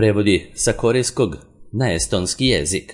Prevodi sa korejskog na estonski jezik.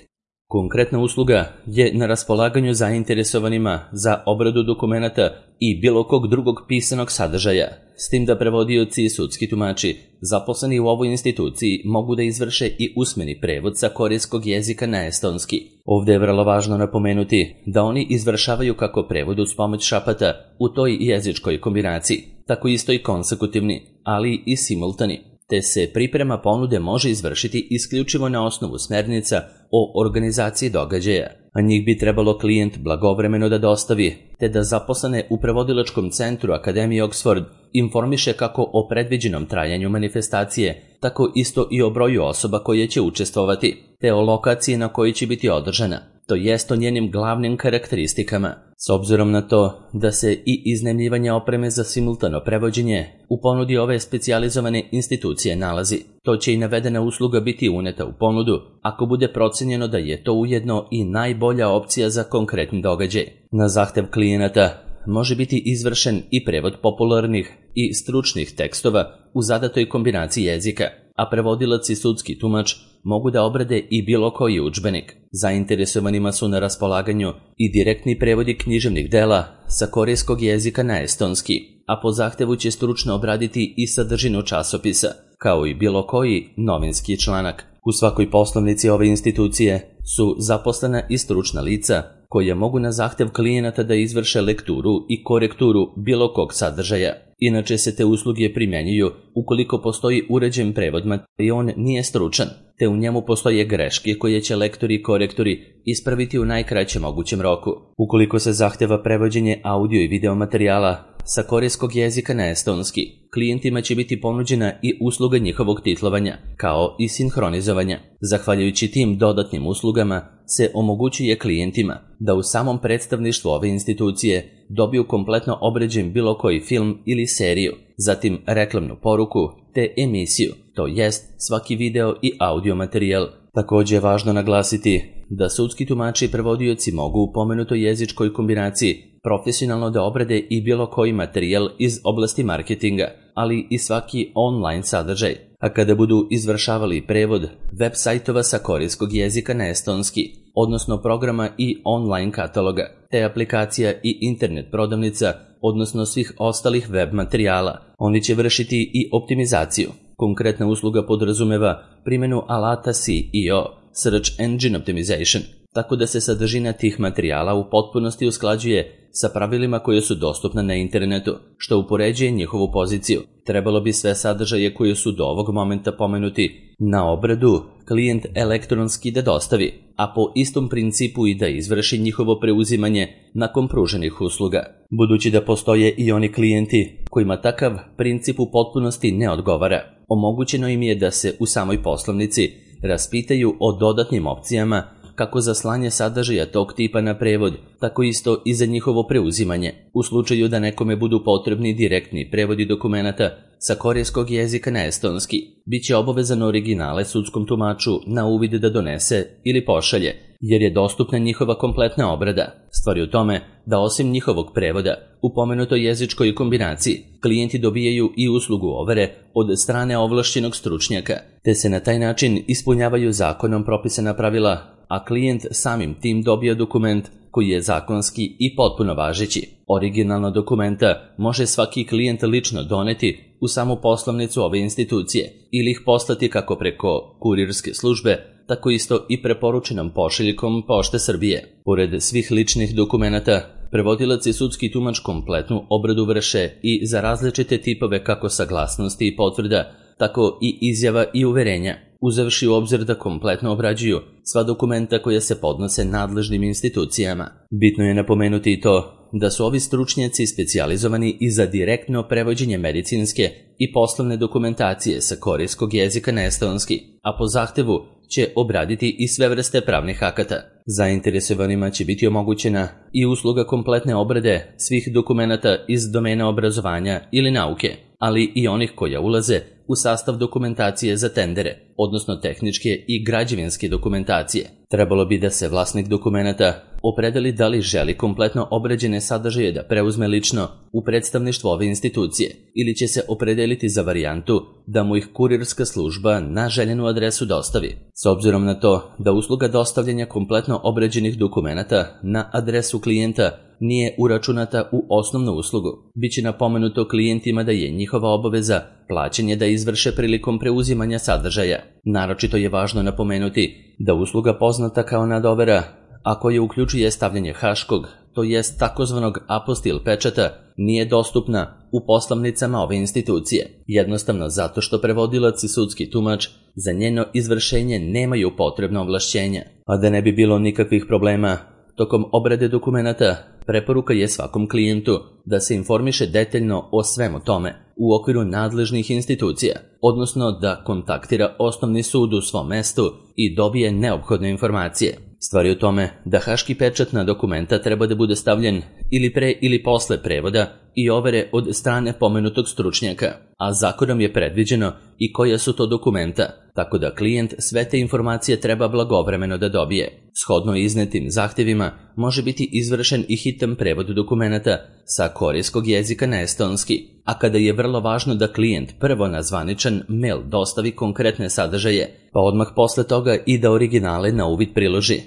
Konkretna usluga je na raspolaganju zainteresovanima za obradu dokumenata i bilo kog drugog pisanog sadržaja, s tim da prevodioci i sudski tumači zaposleni u ovoj instituciji mogu da izvrše i usmeni prevod sa korejskog jezika na estonski. Ovdje je vrlo važno napomenuti da oni izvršavaju kako prevod uz pomoć šapata u toj jezičkoj kombinaciji, tako isto i konsekutivni, ali i simultani, te se priprema ponude može izvršiti isključivo na osnovu smernica o organizaciji događaja, a njih bi trebalo klijent blagovremeno da dostavi, te da zaposlene u prevodilačkom centru Akademije Oxford informiše kako o predviđenom trajanju manifestacije, tako isto i o broju osoba koje će učestvovati, te o lokaciji na kojoj će biti održana, to jest o njenim glavnim karakteristikama. S obzirom na to da se i iznajmljivanje opreme za simultano prevođenje u ponudi ove specijalizovane institucije nalazi, to će i navedena usluga biti uneta u ponudu ako bude procenjeno da je to ujedno i najbolja opcija za konkretni događaj. Na zahtev klijenata može biti izvršen i prevod popularnih i stručnih tekstova u zadatoj kombinaciji jezika, a prevodilac i sudski tumač mogu da obrade i bilo koji udžbenik. Zainteresovanima su na raspolaganju i direktni prevodi književnih dela sa korejskog jezika na estonski, a po zahtevu će stručno obraditi i sadržinu časopisa, kao i bilo koji novinski članak. U svakoj poslovnici ove institucije su zaposlena i stručna lica koja mogu na zahtev klijenata da izvrše lekturu i korekturu bilo kog sadržaja. Inače se te usluge primjenjuju ukoliko postoji uređen prevod i on nije stručan, te u njemu postoje greške koje će lektori i korektori ispraviti u najkraćem mogućem roku. Ukoliko se zahteva prevođenje audio i video materijala sa korejskog jezika na estonski, klijentima će biti ponuđena i usluga njihovog titlovanja, kao i sinhronizovanja. Zahvaljujući tim dodatnim uslugama se omogućuje klijentima da u samom predstavništvu ove institucije dobiju kompletno obrađen bilo koji film ili seriju, zatim reklamnu poruku te emisiju, to jest svaki video i audio materijal. Također je važno naglasiti da sudski tumači i prevodioci mogu u pomenutoj jezičkoj kombinaciji profesionalno da obrade i bilo koji materijal iz oblasti marketinga, ali i svaki online sadržaj. A kada budu izvršavali prevod web sajtova sa korejskog jezika na estonski, odnosno programa i online kataloga, te aplikacija i internet prodavnica, odnosno svih ostalih web materijala, oni će vršiti i optimizaciju. Konkretna usluga podrazumeva primjenu alata SEO, Search Engine Optimization, tako da se sadržina tih materijala u potpunosti usklađuje sa pravilima koje su dostupna na internetu, što upoređuje njihovu poziciju. Trebalo bi sve sadržaje koje su do ovog momenta pomenuti na obradu klijent elektronski da dostavi, a po istom principu i da izvrši njihovo preuzimanje nakon pruženih usluga. Budući da postoje i oni klijenti kojima takav princip u potpunosti ne odgovara, omogućeno im je da se u samoj poslovnici raspitaju o dodatnim opcijama kako za slanje sadržaja tog tipa na prevod, tako isto i za njihovo preuzimanje. U slučaju da nekome budu potrebni direktni prevodi dokumenata sa korejskog jezika na estonski, bit će obavezan originale sudskom tumaču na uvid da donese ili pošalje, jer je dostupna njihova kompletna obrada. Stvar je u tome da osim njihovog prevoda, u pomenutoj jezičkoj kombinaciji, klijenti dobijaju i uslugu overe od strane ovlašćenog stručnjaka, te se na taj način ispunjavaju zakonom propisana pravila, a klijent samim tim dobija dokument koji je zakonski i potpuno važeći. Originalno dokumenta može svaki klijent lično doneti u samu poslovnicu ove institucije ili ih poslati kako preko kurirske službe, tako isto i preporučenom pošiljkom Pošte Srbije. Pored svih ličnih dokumenata, prevodilac i sudski tumač kompletnu obradu vrše i za različite tipove kako saglasnosti i potvrda, tako i izjava i uverenja, uzevši u obzir da kompletno obrađuju sva dokumenta koja se podnose nadležnim institucijama. Bitno je napomenuti i to da su ovi stručnjaci specijalizovani i za direktno prevođenje medicinske i poslovne dokumentacije sa korejskog jezika na estonski, a po zahtevu će obraditi i sve vrste pravnih akata. Zainteresovanima će biti omogućena i usluga kompletne obrade svih dokumenata iz domena obrazovanja ili nauke, ali i onih koja ulaze u sastav dokumentacije za tendere, odnosno tehničke i građevinske dokumentacije. Trebalo bi da se vlasnik dokumenata opredeli da li želi kompletno obrađene sadržaje da preuzme lično u predstavništvo ove institucije ili će se opredeliti za varijantu da mu ih kurirska služba na željenu adresu dostavi. S obzirom na to da usluga dostavljanja kompletno obrađenih dokumenata na adresu klijenta nije uračunata u osnovnu uslugu, biće napomenuto klijentima da je njihova obaveza plaćanje da izvrše prilikom preuzimanja sadržaja. Naročito je važno napomenuti da usluga poznata kao nadovera, a koja uključuje stavljanje haškog, to jest takozvanog apostil pečata, nije dostupna u poslovnicama ove institucije, jednostavno zato što prevodilac i sudski tumač za njeno izvršenje nemaju potrebno ovlašćenja. A da ne bi bilo nikakvih problema tokom obrade dokumenata, preporuka je svakom klijentu da se informiše detaljno o svemu tome u okviru nadležnih institucija, odnosno da kontaktira osnovni sud u svom mestu i dobije neophodne informacije. Stvar je u tome da haški pečat na dokumenta treba da bude stavljen ili pre ili posle prevoda i overe od strane pomenutog stručnjaka, a zakonom je predviđeno i koja su to dokumenta, tako da klijent sve te informacije treba blagovremeno da dobije. Shodno iznetim zahtjevima može biti izvršen i hitan prevod dokumenta sa korejskog jezika na estonski, a kada je vrlo važno da klijent prvo na zvaničan mail dostavi konkretne sadržaje, pa odmah posle toga i da originale na uvid priloži,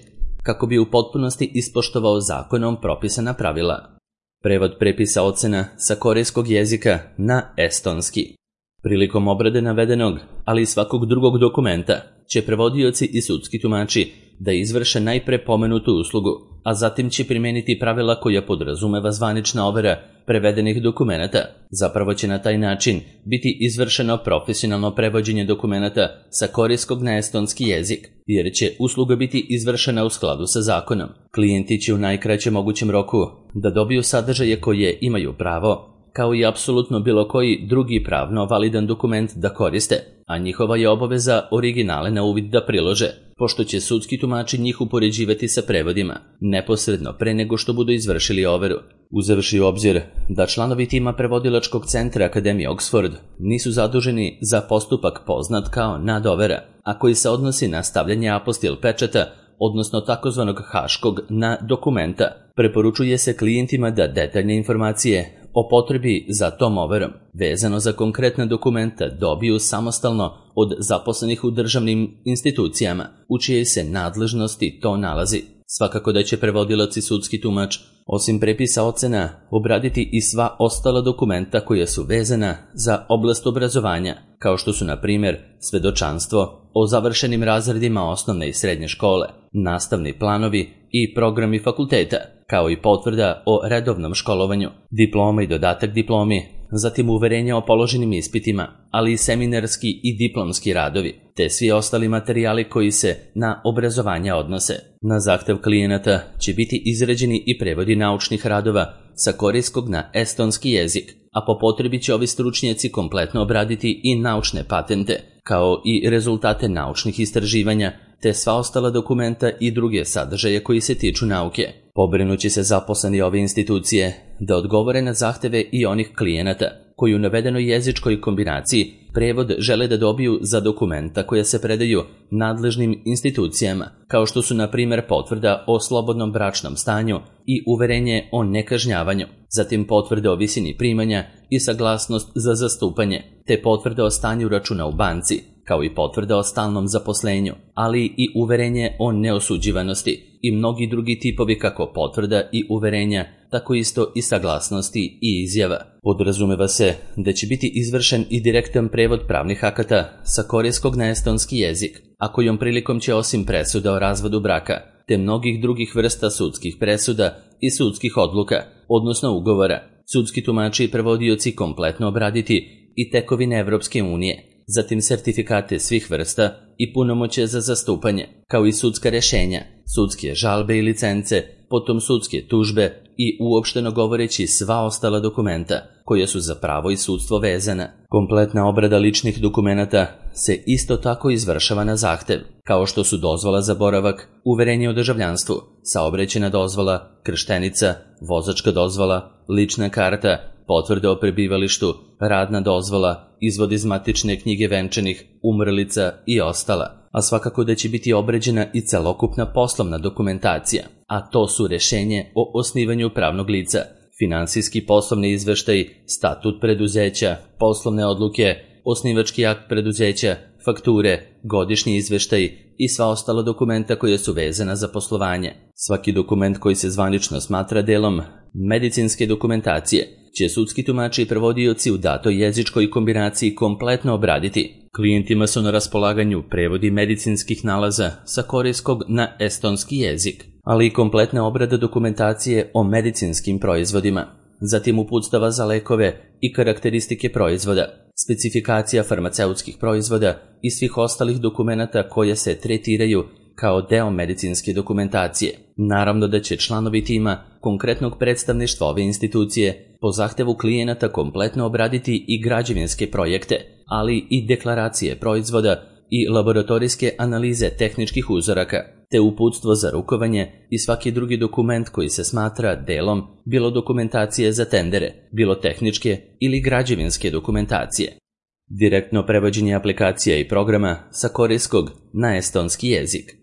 kako bi u potpunosti ispoštovao zakonom propisana pravila. Prevod prepisa ocena sa korejskog jezika na estonski. Prilikom obrade navedenog, ali i svakog drugog dokumenta, će prevodioci i sudski tumači da izvrše najpre pomenutu uslugu, a zatim će primeniti pravila koja podrazumeva zvanična overa prevedenih dokumenata. Zapravo će na taj način biti izvršeno profesionalno prevođenje dokumenata sa korejskog na estonski jezik, jer će usluga biti izvršena u skladu sa zakonom. Klijenti će u najkraćem mogućem roku da dobiju sadržaje koje imaju pravo, kao i apsolutno bilo koji drugi pravno validan dokument da koriste, a njihova je obaveza originale na uvid da prilože, pošto će sudski tumači njih upoređivati sa prevodima, neposredno pre nego što budu izvršili overu. Uzevši u obzir da članovi tima prevodilačkog centra Akademije Oxford nisu zaduženi za postupak poznat kao nadovera, a koji se odnosi na stavljanje apostil pečata, odnosno takozvanog haškog na dokumenta, preporučuje se klijentima da detaljne informacije o potrebi za tom overom, vezano za konkretna dokumenta, dobiju samostalno od zaposlenih u državnim institucijama, u čijoj se nadležnosti to nalazi. Svakako da će prevodilac i sudski tumač, osim prepisa ocena, obraditi i sva ostala dokumenta koja su vezana za oblast obrazovanja, kao što su, na primjer, svedočanstvo o završenim razredima osnovne i srednje škole, nastavni planovi i programi fakulteta, kao i potvrda o redovnom školovanju, diploma i dodatak diplomi, zatim uverenja o položenim ispitima, ali i seminarski i diplomski radovi, te svi ostali materijali koji se na obrazovanje odnose. Na zahtev klijenata će biti izrađeni i prevodi naučnih radova sa korejskog na estonski jezik, a po potrebi će ovi stručnjaci kompletno obraditi i naučne patente, kao i rezultate naučnih istraživanja, te sva ostala dokumenta i druge sadržaje koji se tiču nauke. Pobrinuće se zaposleni ove institucije da odgovore na zahteve i onih klijenata koji u navedenoj jezičkoj kombinaciji prevod žele da dobiju za dokumenta koja se predaju nadležnim institucijama, kao što su, na primjer, potvrda o slobodnom bračnom stanju i uverenje o nekažnjavanju, zatim potvrde o visini primanja i saglasnost za zastupanje, te potvrde o stanju računa u banci, kao i potvrda o stalnom zaposlenju, ali i uverenje o neosuđivanosti i mnogi drugi tipovi kako potvrda i uverenja, tako isto i saglasnosti i izjava. Podrazumeva se da će biti izvršen i direktan prevod pravnih akata sa korejskog na estonski jezik, a kojom prilikom će osim presuda o razvodu braka, te mnogih drugih vrsta sudskih presuda i sudskih odluka, odnosno ugovora, sudski tumači i prevodioci kompletno obraditi i tekovine Evropske unije, zatim sertifikate svih vrsta i punomoćje za zastupanje, kao i sudska rješenja, sudske žalbe i licence, potom sudske tužbe i uopšteno govoreći sva ostala dokumenta koja su za pravo i sudstvo vezana. Kompletna obrada ličnih dokumenata se isto tako izvršava na zahtev, kao što su dozvola za boravak, uverenje o državljanstvu, saobraćajna dozvola, krštenica, vozačka dozvola, lična karta, potvrde o prebivalištu, radna dozvola, izvod iz matične knjige venčanih, umrlica i ostala, a svakako da će biti obrađena i celokupna poslovna dokumentacija, a to su rešenje o osnivanju pravnog lica, finansijski poslovni izveštaj, statut preduzeća, poslovne odluke, osnivački akt preduzeća, fakture, godišnji izveštaj i sva ostala dokumenta koja su vezana za poslovanje. Svaki dokument koji se zvanično smatra delom medicinske dokumentacije će sudski tumači i prevodioci u datoj jezičkoj kombinaciji kompletno obraditi. Klijentima su na raspolaganju prevodi medicinskih nalaza sa korejskog na estonski jezik, ali i kompletna obrada dokumentacije o medicinskim proizvodima, zatim uputstava za lekove i karakteristike proizvoda, specifikacija farmaceutskih proizvoda i svih ostalih dokumenata koje se tretiraju kao deo medicinske dokumentacije. Naravno da će članovi tima konkretnog predstavništva ove institucije po zahtevu klijenata kompletno obraditi i građevinske projekte, ali i deklaracije proizvoda i laboratorijske analize tehničkih uzoraka, te uputstvo za rukovanje i svaki drugi dokument koji se smatra delom bilo dokumentacije za tendere, bilo tehničke ili građevinske dokumentacije. Direktno prevođenje aplikacija i programa sa korejskog na estonski jezik.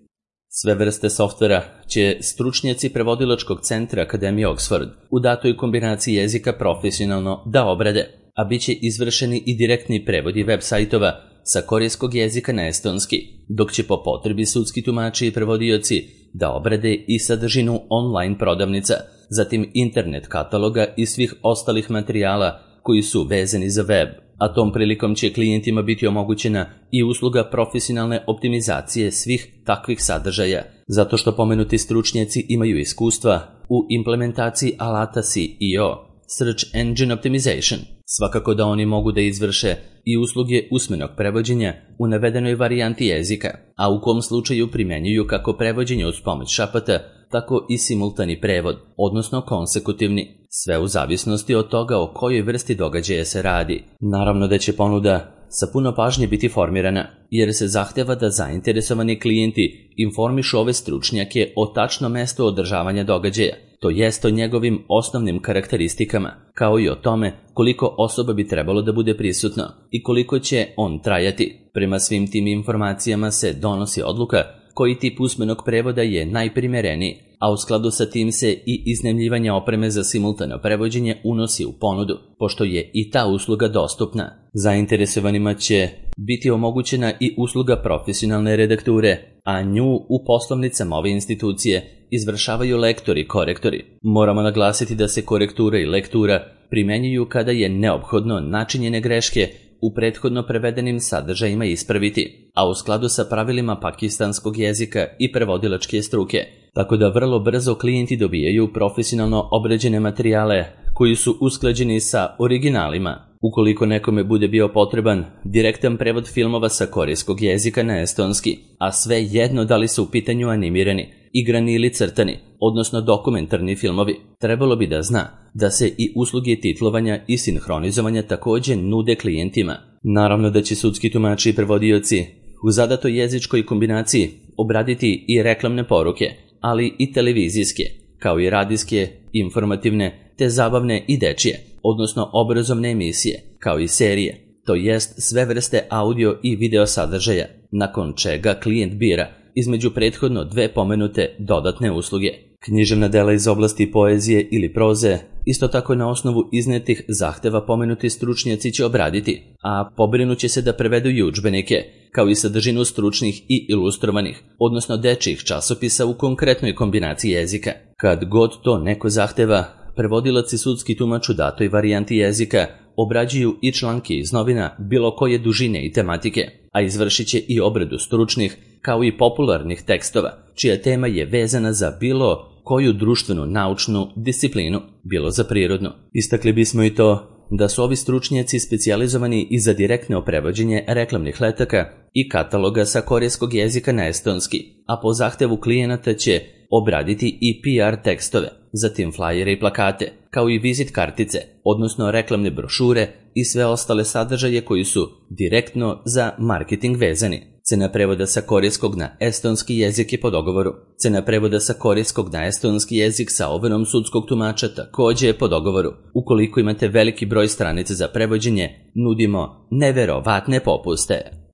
Sve vrste softvera će stručnjaci prevodilačkog centra Akademije Oxford u datoj kombinaciji jezika profesionalno da obrade, a bit će izvršeni i direktni prevodi web sajtova sa korejskog jezika na estonski, dok će po potrebi sudski tumači i prevodioci da obrade i sadržinu online prodavnica, zatim internet kataloga i svih ostalih materijala koji su vezani za web, a tom prilikom će klijentima biti omogućena i usluga profesionalne optimizacije svih takvih sadržaja, zato što pomenuti stručnjaci imaju iskustva u implementaciji alata SEO, Search Engine Optimization. Svakako da oni mogu da izvrše i usluge usmenog prevođenja u navedenoj varijanti jezika, a u kom slučaju primjenjuju kako prevođenje uz pomoć šapata, tako i simultani prevod, odnosno konsekutivni, sve u zavisnosti od toga o kojoj vrsti događaja se radi. Naravno da će ponuda sa puno pažnje biti formirana, jer se zahteva da zainteresovani klijenti informišu ove stručnjake o tačnom mestu održavanja događaja, to jest o njegovim osnovnim karakteristikama, kao i o tome koliko osoba bi trebalo da bude prisutno i koliko će on trajati. Prema svim tim informacijama se donosi odluka koji tip usmenog prevoda je najprimereniji, a u skladu sa tim se i iznajmljivanje opreme za simultano prevođenje unosi u ponudu, pošto je i ta usluga dostupna. Zainteresovanima će biti omogućena i usluga profesionalne redakture, a nju u poslovnicama ove institucije izvršavaju lektori i korektori. Moramo naglasiti da se korektura i lektura primenjuju kada je neophodno načinjene greške u prethodno prevedenim sadržajima ispraviti, a u skladu sa pravilima pakistanskog jezika i prevodilačke struke, tako da vrlo brzo klijenti dobijaju profesionalno obrađene materijale koji su usklađeni sa originalima. Ukoliko nekome bude bio potreban direktan prevod filmova sa korejskog jezika na estonski, a sve jedno da li su u pitanju animirani, igrani ili crtani, odnosno dokumentarni filmovi, trebalo bi da zna da se i usluge titlovanja i sinhronizovanja također nude klijentima. Naravno da će sudski tumači i prevodioci u zadatoj jezičkoj kombinaciji obraditi i reklamne poruke, ali i televizijske, kao i radijske, informativne, te zabavne i dečije, odnosno obrazovne emisije, kao i serije, to jest sve vrste audio i video sadržaja, nakon čega klijent bira između prethodno dve pomenute dodatne usluge. Književna dela iz oblasti poezije ili proze, isto tako na osnovu iznetih zahteva pomenuti stručnjaci će obraditi, a pobrinuće se da prevedu i udžbenike, kao i sadržinu stručnih i ilustrovanih, odnosno dečjih časopisa u konkretnoj kombinaciji jezika. Kad god to neko zahteva, prevodilac i sudski tumač u datoj varijanti jezika obrađuju i članke iz novina bilo koje dužine i tematike, a izvršit će i obradu stručnih kao i popularnih tekstova, čija tema je vezana za bilo koju društvenu naučnu disciplinu, bilo za prirodnu. Istakli bismo i to da su ovi stručnjaci specijalizovani i za direktno prevođenje reklamnih letaka i kataloga sa korejskog jezika na estonski, a po zahtevu klijenata će obraditi i PR tekstove, zatim flajere i plakate, kao i vizit kartice, odnosno reklamne brošure i sve ostale sadržaje koji su direktno za marketing vezani. Cena prevoda sa korejskog na estonski jezik je po dogovoru. Cena prevoda sa korejskog na estonski jezik sa overom sudskog tumača također je po dogovoru. Ukoliko imate veliki broj stranica za prevođenje, nudimo neverovatne popuste.